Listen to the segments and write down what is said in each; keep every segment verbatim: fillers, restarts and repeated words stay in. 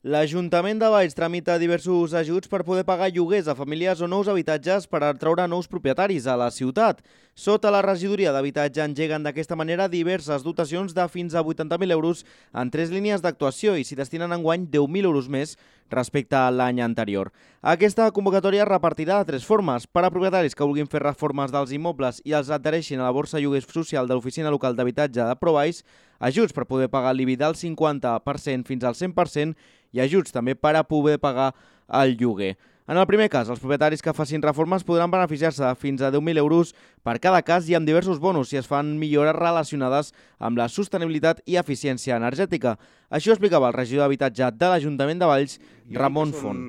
L'Ajuntament de Valls tramita diversos ajuts per poder pagar lloguers a famílies o nous habitatges per atraure nous propietaris a la ciutat. Sota la regidoria d'habitatge engeguen d'aquesta manera diverses dotacions de fins a vuitanta mil euros en tres línies d'actuació i s'hi destinen enguany deu mil euros més respecte a l'any anterior. Aquesta convocatòria es repartirà de tres formes: per a propietaris que vulguin fer reformes dels immobles i els adhereixin a la borsa lloguers social de l'Oficina Local d'Habitatge de ProValls, ajuts per poder pagar l'I B I del cinquanta per cent fins al cent per cent i ajuts també per a poder pagar el lloguer. En el primer cas, els propietaris que facin reformes podran beneficiar-se de fins a deu mil euros per cada cas i amb diversos bonus si es fan millores relacionades amb la sostenibilitat i eficiència energètica. Això explicava el regidor d'Habitatge de l'Ajuntament de Valls, Ramon Font.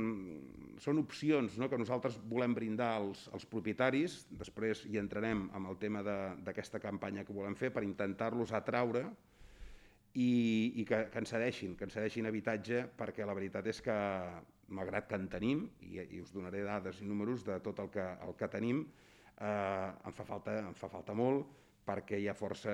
Són opcions, no?, que nosaltres volem brindar als, als propietaris. Després hi entrarem amb el tema d'aquesta campanya que volem fer per intentar-los atraure i, i que, que ens cedeixin, que ens cedeixin habitatge, perquè la veritat és que, malgrat que en tenim, i, i us donaré dades i números de tot el que, el que tenim, eh, em, fa falta, em fa falta molt perquè hi ha força,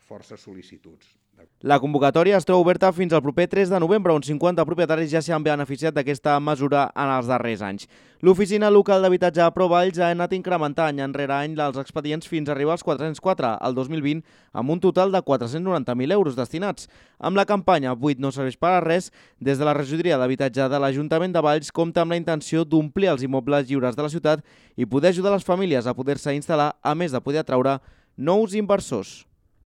força sol·licituds. La convocatòria es troba oberta fins al proper tres de novembre, on cinquanta propietaris ja s'han beneficiat d'aquesta mesura en els darrers anys. L'Oficina Local d'Habitatge de ProValls ha anat incrementant any enrere any els expedients fins a arribar als quatre-cents quatre el dos mil vint, amb un total de quatre-cents noranta mil euros destinats. Amb la campanya Buit no serveix per a res, des de la regidoria d'Habitatge de l'Ajuntament de Valls compta amb la intenció d'omplir els immobles lliures de la ciutat i poder ajudar les famílies a poder-se instal·lar, a més de poder atraure nous inversors.